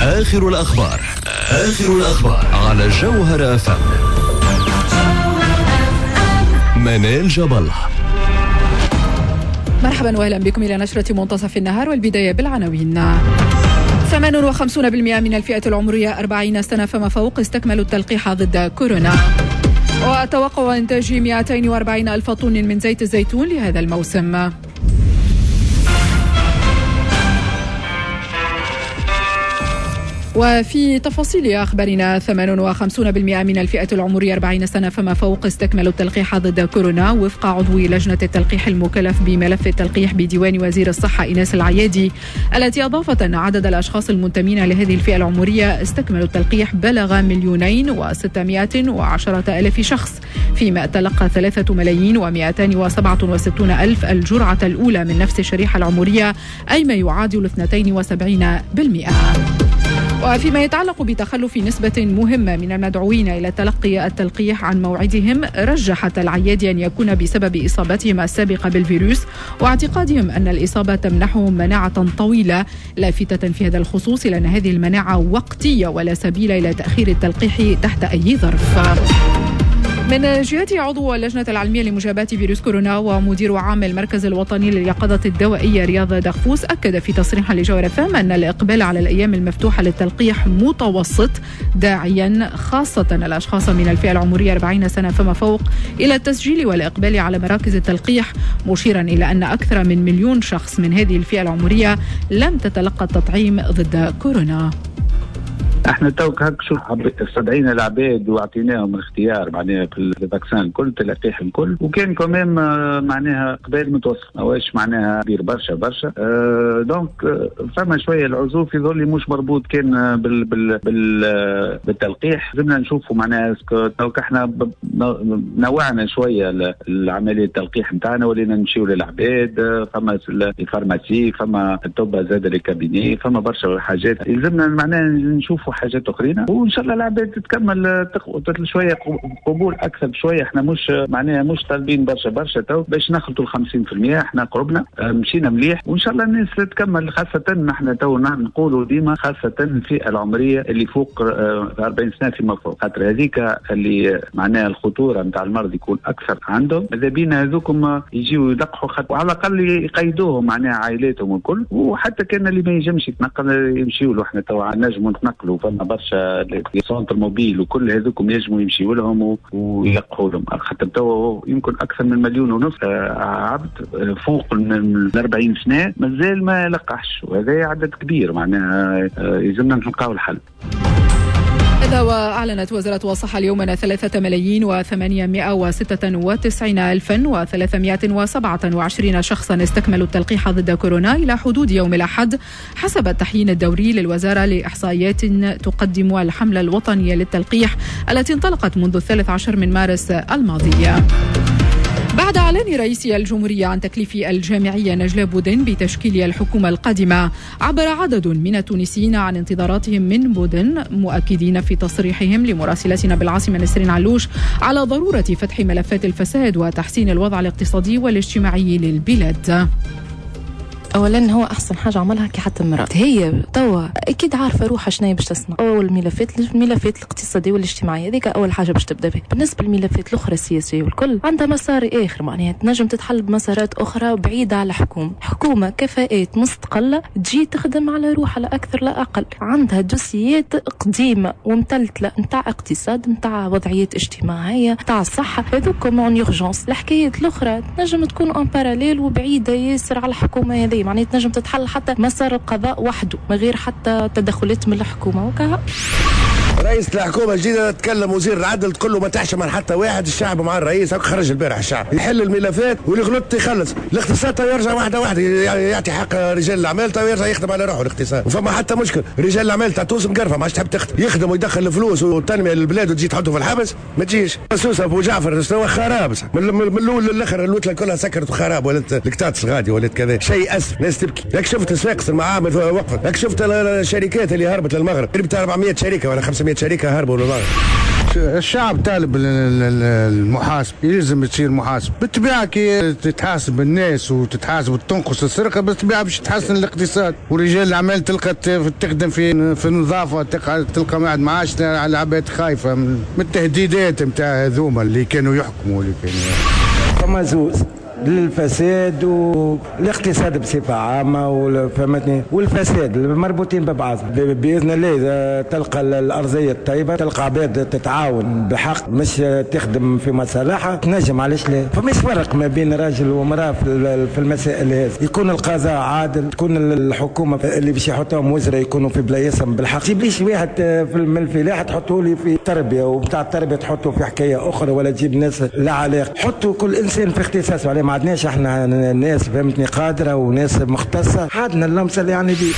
آخر الأخبار، آخر الأخبار على جوهرة أف أم. منال جاب. مرحبا واهلا بكم الى نشرة منتصف النهار، والبداية بالعناوين. 58% من الفئة العمرية 40 سنة فما فوق استكملوا التلقيح ضد كورونا. وتوقع إنتاج 240 ألف طن من زيت الزيتون لهذا الموسم. وفي تفاصيل أخبارنا، 58% من الفئة العمرية 40 سنة فما فوق استكملوا التلقيح ضد كورونا، وفق عضو لجنة التلقيح المكلف بملف التلقيح بديوان وزير الصحة إيناس العيادي، التي أضافت أن عدد الأشخاص المنتمين لهذه الفئة العمرية استكملوا التلقيح بلغ 2,610,000 شخص، فيما تلقى 3,267,000 الجرعة الأولى من نفس الشريحة العمرية، أي ما يعادل 72%. وفيما يتعلق بتخلف نسبة مهمة من المدعوين إلى تلقي التلقيح عن موعدهم، رجحت العيادي أن يكون بسبب إصابتهم السابقة بالفيروس واعتقادهم أن الإصابة تمنحهم مناعة طويلة، لافتة في هذا الخصوص إلى أن هذه المناعة وقتية ولا سبيل إلى تأخير التلقيح تحت أي ظرف. من جهته، عضو اللجنة العلمية لمجابهة فيروس كورونا ومدير عام المركز الوطني لليقظة الدوائية رياض دغفوس أكد في تصريح لجوهرة أف أم أن الإقبال على الأيام المفتوحة للتلقيح متوسط، داعيا خاصة الأشخاص من الفئة العمرية 40 سنة فما فوق إلى التسجيل والإقبال على مراكز التلقيح، مشيرا إلى أن أكثر من 1 مليون شخص من هذه الفئة العمرية لم تتلقى التطعيم ضد كورونا. احنا توك هك شوف استدعينا العباد واعطيناهم الاختيار معناها في ال vaccin الكل، التلقيح الكل، وكان quand même معناها اقبال متوسط، ماهوش معناها كبير برشا برشا. Donc فما شوية العزوف يظهر لي مش مربوط كان بال بال بال بالتلقيح. لازمنا نشوفوا معناها est-ce que توك احنا نوعنا شوية العملية التلقيح نتاعنا، ولينا نمشيو للعباد، فما ال pharmacie، فما الطب زاد les cabinets، فما برشا حاجات يلزمنا معناها نشوفوا حاجات اخرين، وان شاء الله العباد تكمل شوية قبول اكثر بشويه. احنا مش معناها مش طالبين برشا برشا تو باش نخلطوا ال 50%، احنا قربنا مشينا مليح، وان شاء الله الناس تكمل، خاصة نحن تو نقولوا ديما خاصة الفئة العمرية اللي فوق 40 سنة فيما فوق، خاطر هذيك اللي معناها الخطورة نتاع المرض يكون اكثر عندهم. ماذا بينا هذوكم يجيو يلقحوا، وعلى الاقل يقيدوهم معناها عائلاتهم الكل، وحتى كان اللي ما ينجمش يتنقل يمشيوا له. احنا تو نجموا نتنقلوا، فما برشا les centres mobiles وكل هذوكم ينجموا يمشيوا لهم ويلقحوا لهم، خاطر تو يمكن اكثر من 1.5 مليون عبد فوق من 40 سنة مازال ما لقحش، وهذا عدد كبير معناها يلزمنا نلقاو الحل. هذا وأعلنت وزارة الصحة اليوم أن 3,896,327 شخصا استكملوا التلقيح ضد كورونا إلى حدود يوم الأحد، حسب التحيين الدوري للوزارة لإحصائيات تقدم الحملة الوطنية للتلقيح التي انطلقت منذ 13 من مارس الماضي. بعد إعلان رئيس الجمهورية عن تكليف الجامعية نجلاء بودن بتشكيل الحكومة القادمة، عبر عدد من التونسيين عن انتظاراتهم من بودن، مؤكدين في تصريحهم لمراسلتنا بالعاصمة نسرين علوش على ضرورة فتح ملفات الفساد وتحسين الوضع الاقتصادي والاجتماعي للبلاد. اولا هو احسن حاجة عملها كي حط المراة، هي توا اكيد عارفه روحها شنو باش تصنع. اول الملفات، الملفات الاقتصادية والاجتماعية، هذيك اول حاجة باش تبدا بها. بالنسبة للملفات الاخرى السياسية والكل عندها مسار اخر، معناها تنجم تتحل بمسارات اخرى بعيدة على الحكومه. حكومة كفاءات مستقلة تجي تخدم على روحها، لا اكثر لا اقل، عندها dossiers قديمة ومتلتله نتاع اقتصاد، نتاع وضعيات اجتماعيه، نتاع الصحه، هذوك en urgence. الحكايات الاخرى تنجم تكون en parallèle وبعيدة ياسر على الحكومة هذه، معناها تنجم تتحل حتى مسار القضاء وحده من غير حتى تدخلات من الحكومة وكهو. رئيس الحكومة الجديدة تكلم وزير العدل تقول له ما تحشم من حتى واحد، الشعب مع الرئيس. هاك خرج البارح الشعب يحل الملفات واللي غلط يخلص. الاقتصاد تو يرجع واحدة واحده، يعطي حق رجال الاعمال، تو يرجع يخدم على روحه الاقتصاد. وفما حتى مشكل، رجال الاعمال تاع تونس مقرفه، ما عادش تحب تخدم، يخدم ويدخل الفلوس والتنمية للبلاد وتجي تحطه في الحبس، ما تجيش. سوسة ابو جعفر شنو خراب من الاول للاخر، الوتله كلها سكرت وخراب، ولات الكتاتس غادي ولات كذا شيء اسف، ناس تبكي. لك شفت صفاقس المعامل وقفت، لك شفت الشركات اللي هربت للمغرب، قريب 400 شركة ولا 500 شركة هربوا للمغرب. الشعب طالب المحاسب، يلزم تصير محاسب. بالطبيعة كي تتحاسب الناس وتتحاسب وتنقص السرقة بالطبيعة باش تحسن الاقتصاد، ورجال الاعمال تلقى تخدم في النظافة، تلقى واحد ما عادش العباد خايفة من التهديدات نتاع هذوما اللي كانوا يحكموا اللي كانوا. فما زوز للفساد والاقتصاد بصفة عامة فهمتني، والفساد مربوطين ببعض. بإذن الله إذا تلقى الأرضية الطيبة تلقى عباد تتعاون بحق مش تخدم في مصالحها تنجم، علاش لا؟ فمش فرق ما بين راجل ومرأة في المسائل هذه. يكون القضاء عادل، تكون الحكومة اللي باش يحطوهم وزراء يكونوا في بلايصهم بالحق. تجيبليش واحد من الفلاحة تحطوا لي في التربية، وبتاع التربية تحطوا في حكاية أخرى، ولا تجيب ناس لا علاقة. حطوا كل إنسان في اختصاصه. عليه ما عندناش احنا ناس فهمتني قادرة وناس مختصة، عندنا اللمسة اللي يعني دي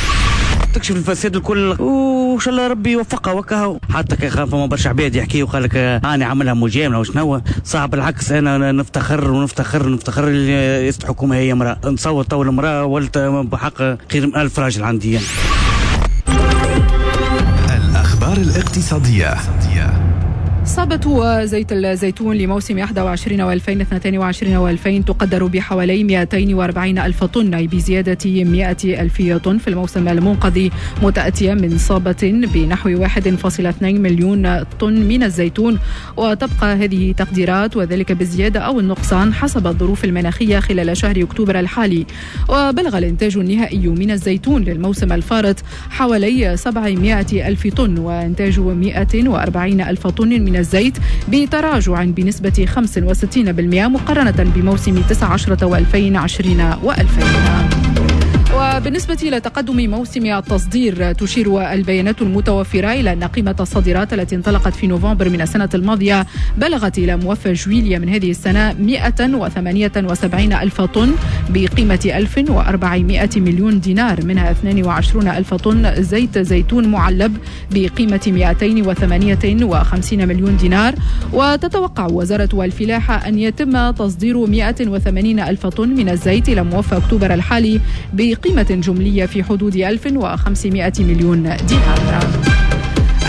تكشف الفساد الكل، وان شاء الله ربي يوفقها وكها. حتى كي خاف فما برشا عباد يحكيوا وقال لك انا عاملها مجاملة وشنو، صعب. بالعكس انا نفتخر ونفتخر نفتخر اللي رئيسة الحكومة هي امراة. نصور تو المراة ولت بحق خير من 1000 راجل عندي يعني. الاخبار الاقتصادية. صابة زيت الزيتون لموسم 21 و2022 و2000 تقدر بحوالي 240 ألف طن، أي بزيادة 100 ألف طن في الموسم المنقضي، متأتية من صابة بنحو 1.2 مليون طن من الزيتون. وتبقى هذه تقديرات، وذلك بالزيادة أو النقصان حسب الظروف المناخية خلال شهر أكتوبر الحالي. وبلغ الإنتاج النهائي من الزيتون للموسم الفارط حوالي 700 ألف طن، وإنتاج 140 ألف طن من الزيت، بتراجع بنسبة 65% مقارنة بموسم 19 و2020 و2000. وبالنسبة إلى تقدم موسم التصدير، تشير البيانات المتوفرة إلى أن قيمة الصادرات التي انطلقت في نوفمبر من السنة الماضية بلغت إلى موفى جويليا من هذه السنة 178 ألف طن بقيمة 1400 مليون دينار، منها 22 ألف طن زيت زيتون معلب بقيمة 258 مليون دينار. وتتوقع وزارة الفلاحة أن يتم تصدير 180 ألف طن من الزيت إلى موفى أكتوبر الحالي بقيمة جملية في حدود 1500 مليون دينار.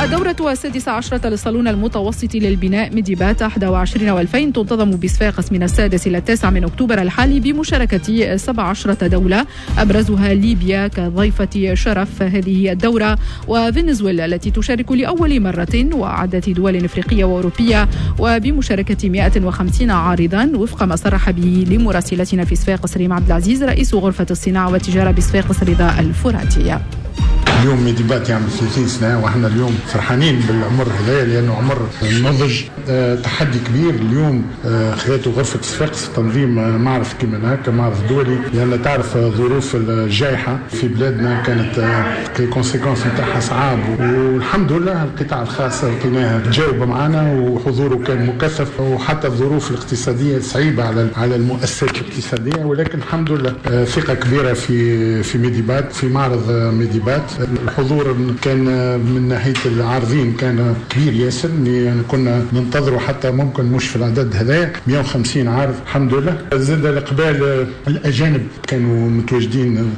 الدورة 16 للصالون المتوسط للبناء ميديبات 21 و2000 تنتظم بصفاقس من 6 إلى 9 من أكتوبر الحالي بمشاركة 17 دولة، أبرزها ليبيا كضيفة شرف هذه الدورة، وفنزويلا التي تشارك لأول مرة، وعدة دول إفريقية وأوروبية، وبمشاركة 150 عارضا وفق ما صرح به لمراسلتنا في صفاقس ريم عبد العزيز رئيس غرفة الصناعة والتجارة بصفاقس رضا الفراتية. اليوم ميديبات يعمل 30 سنة، واحنا اليوم فرحانين بالعمر هذا لأنه عمر نضج. تحدي كبير اليوم خذته غرفة صفاقس تنظيم معرض كيما هكا، معرض دولي، لأن تعرف ظروف الجائحة في بلادنا كانت les conséquences نتاعها صعاب، والحمد لله القطاع الخاص لقيناه تجاوب معنا وحضوره كان مكثف، وحتى الظروف الاقتصادية صعيبة على المؤسسات الاقتصادية، ولكن الحمد لله ثقة كبيرة في ميديبات، في معرض ميديبات. الحضور كان من ناحية العارضين كان كبير ياسر، يعني كنا ننتظروا حتى ممكن مش في العدد هذايا 150 عارض، الحمد لله. زاد الإقبال الأجانب كانوا متواجدين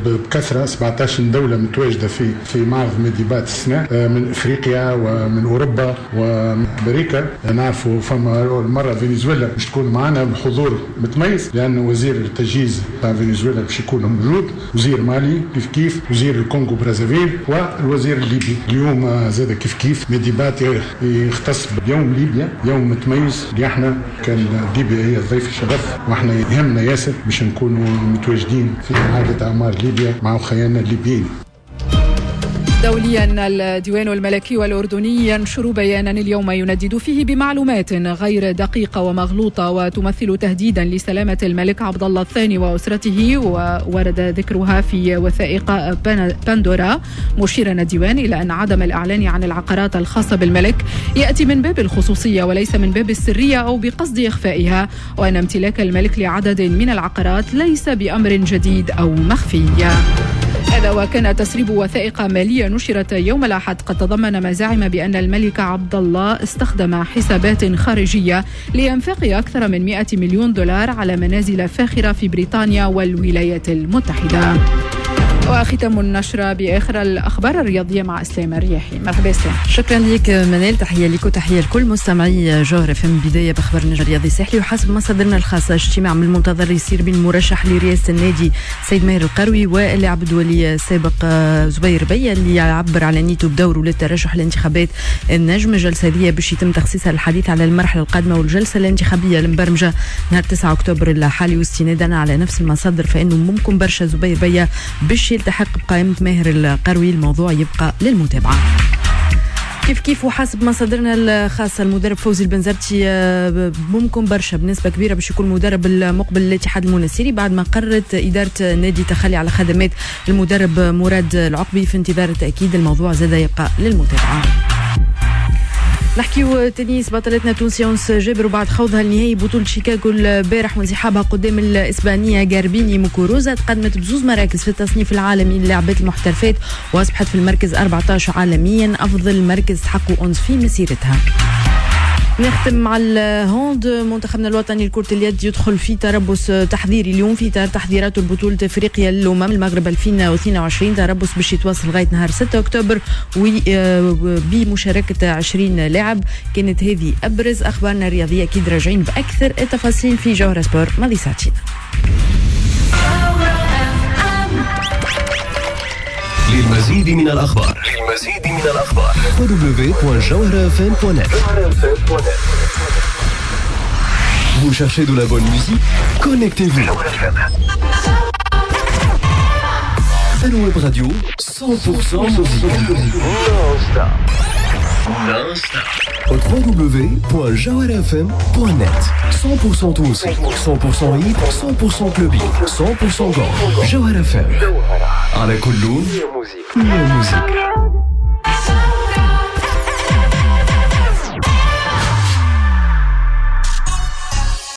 بكثرة، 17 دولة متواجدة في معرض ميديبات السنة، من إفريقيا ومن أوروبا وأمريكا. نعرفوا فما المرة فنزويلا باش تكون معنا بحضور متميز، لأن وزير التجهيز تاع فنزويلا باش يكون موجود، وزير مالي كيف كيف، وزير الكونغو برازافيل، والوزير الليبي. اليوم زاد كيف كيف ميديبات يختص بيوم ليبيا، يوم متميز اللي احنا كان ليبيا هي الضيف الشرف، واحنا يهمنا ياسر باش نكونوا متواجدين في إعادة أعمار ليبيا مع خياننا الليبيين. دوليا، الديوان الملكي والأردني ينشر بيانا اليوم يندد فيه بمعلومات غير دقيقة ومغلوطة وتمثل تهديدا لسلامة الملك عبد الله الثاني وأسرته، وورد ذكرها في وثائق باندورا. مشيرا الديوان إلى أن عدم الإعلان عن العقارات الخاصة بالملك يأتي من باب الخصوصية وليس من باب السرية أو بقصد إخفائها، وأن امتلاك الملك لعدد من العقارات ليس بأمر جديد أو مخفي. هذا وكان تسريب وثائق مالية نشرت يوم الأحد قد تضمن مزاعم بأن الملك عبد الله استخدم حسابات خارجية لإنفاق أكثر من 100 مليون دولار على منازل فاخرة في بريطانيا والولايات المتحدة. وختام النشرة بآخر الأخبار الرياضية مع إسلام الرياحي. مرحبا إسلام. شكرا لك منال، تحية لك وتحية لكل مستمعي جوهرة FM. بداية بأخبار النجم الرياضي الساحلي، وحسب مصادرنا الخاصة اجتماع من المنتظر يصير بين المرشح لرئاسة النادي سيد ماهر القروي واللاعب الدولي السابق زبير بيا اللي يعبر على نيته بدوره للترشح لانتخابات النجم. الجلسة هذه باش يتم تخصيصها للحديث على المرحلة القادمة والجلسة الانتخابية المبرمجة نهار 9 أكتوبر الحالي. واستنادا على نفس المصادر فإنه ممكن برشا زبير بيا باش يلتحق بقائمة ماهر القروي. الموضوع يبقى للمتابعة. كيف كيف وحسب مصادرنا الخاصة المدرب فوزي البنزرتي ممكن برشا بنسبة كبيرة باش يكون المدرب المقبل للاتحاد المنستيري بعد ما قررت إدارة النادي تخلي على خدمات المدرب مراد العقبي في انتظار التأكيد. الموضوع زاد يبقى للمتابعة. نحكيو تنس، بطلتنا التونسية أنس جابر وبعد خوضها النهائي بطولة شيكاغو البارح وانسحابها قدام الإسبانية غاربيني موكوروزا تقدمت بزوز مراكز في التصنيف العالمي للاعبات المحترفات وأصبحت في المركز 14 عالميا، أفضل مركز تحققه أنس في مسيرتها. نختم مع ال hand، منتخبنا الوطني لكرة اليد يدخل في تربص تحضيري اليوم في إطار تحضيراته لبطولة افريقيا للأمم المغرب 2022، تربص باش يتواصل لغاية نهار 6 أكتوبر بمشاركة 20 لاعب. كانت هذه أبرز أخبارنا الرياضية، أكيد راجعين بأكثر التفاصيل في جوهرة سبور ماضي ساعتين. للمزيد من الأخبار www.jawharafm.net. Vous cherchez de la bonne musique? Connectez-vous. Web Radio 100% musique. Non-stop. www.jawharafm.net. 100% تونسي، 100% hit، 100% clubbing، 100% gold. جوهرة FM. على كل لون يا musique.